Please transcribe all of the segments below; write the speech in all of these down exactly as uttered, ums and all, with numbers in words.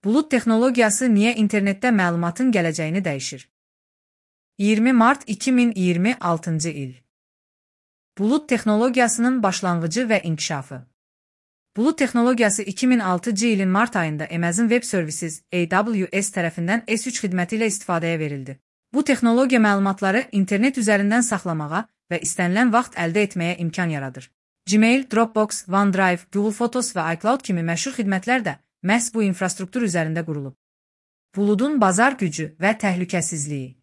Bulut texnologiyası niyə internetdə məlumatın gələcəyini dəyişir? iyirmi mart iki min iyirmi altıncı il. Bulut texnologiyasının başlanğıcı və inkişafı. Bulut texnologiyası iki min altıncı ilin mart ayında Amazon Web Services A W S tərəfindən S üç xidməti ilə istifadəyə verildi. Bu texnologiya məlumatları internet üzərindən saxlamağa və istənilən vaxt əldə etməyə imkan yaradır. Gmail, Dropbox, OneDrive, Google Photos və iCloud kimi məşhur xidmətlər də məhz bu infrastruktur üzərində qurulub. Buludun bazar gücü və təhlükəsizliyi.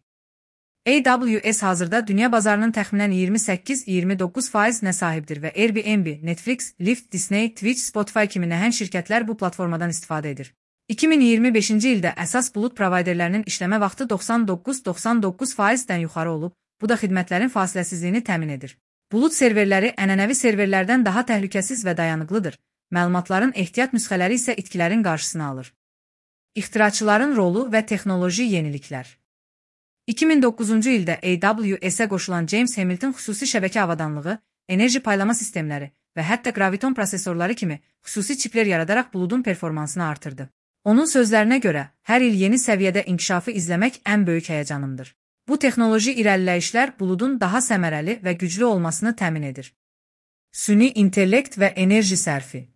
A W S hazırda dünya bazarının təxminən iyirmi səkkiz iyirmi doqquz faizinə sahibdir və Airbnb, Netflix, Lyft, Disney, Twitch, Spotify kimi nəhəng şirkətlər bu platformadan istifadə edir. iki min iyirmi beşinci ildə əsas bulut provayderlərinin işləmə vaxtı doxsan doqquz doxsan doqquz faizdən yuxarı olub, bu da xidmətlərin fasiləsizliyini təmin edir. Bulut serverləri ənənəvi serverlərdən daha təhlükəsiz və dayanıqlıdır. Məlumatların ehtiyat nüsxələri isə itkilərin qarşısını alır. İxtiraçıların rolu və texnoloji yeniliklər. iki min doqquzuncu ildə A W S-ə qoşulan James Hamilton xüsusi şəbəkə avadanlığı, enerji paylama sistemləri və hətta graviton prosesorları kimi xüsusi çiplər yaradaraq buludun performansını artırdı. Onun sözlərinə görə, hər il yeni səviyyədə inkişafı izləmək ən böyük həyəcanımdır. Bu texnoloji irəliləyişlər buludun daha səmərəli və güclü olmasını təmin edir. Süni intellekt və enerji sərfi.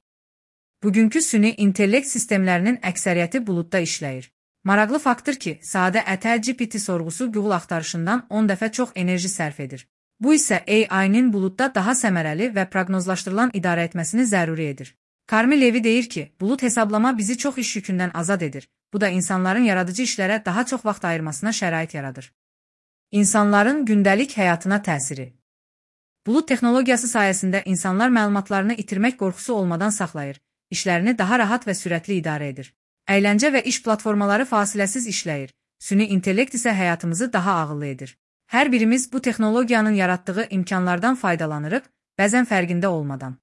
Bugünkü süni intellekt sistemlərinin əksəriyyəti buludda işləyir. Maraqlı faktdır ki, sadə ətər G P T sorğusu Google axtarışından on dəfə çox enerji sərf edir. Bu isə A I-nin buludda daha səmərəli və proqnozlaşdırılan idarə etməsini zəruri edir. Carmi Levy deyir ki, bulud hesablama bizi çox iş yükündən azad edir. Bu da insanların yaradıcı işlərə daha çox vaxt ayırmasına şərait yaradır. İnsanların gündəlik həyatına təsiri. Bulud texnologiyası sayəsində insanlar məlumatlarını itirmək qorxusu olmadan saxlayır, işlərini daha rahat və sürətli idarə edir. Əyləncə və iş platformaları fasiləsiz işləyir, süni intellekt isə həyatımızı daha ağıllı edir. Hər birimiz bu texnologiyanın yaratdığı imkanlardan faydalanırıq, bəzən fərqində olmadan.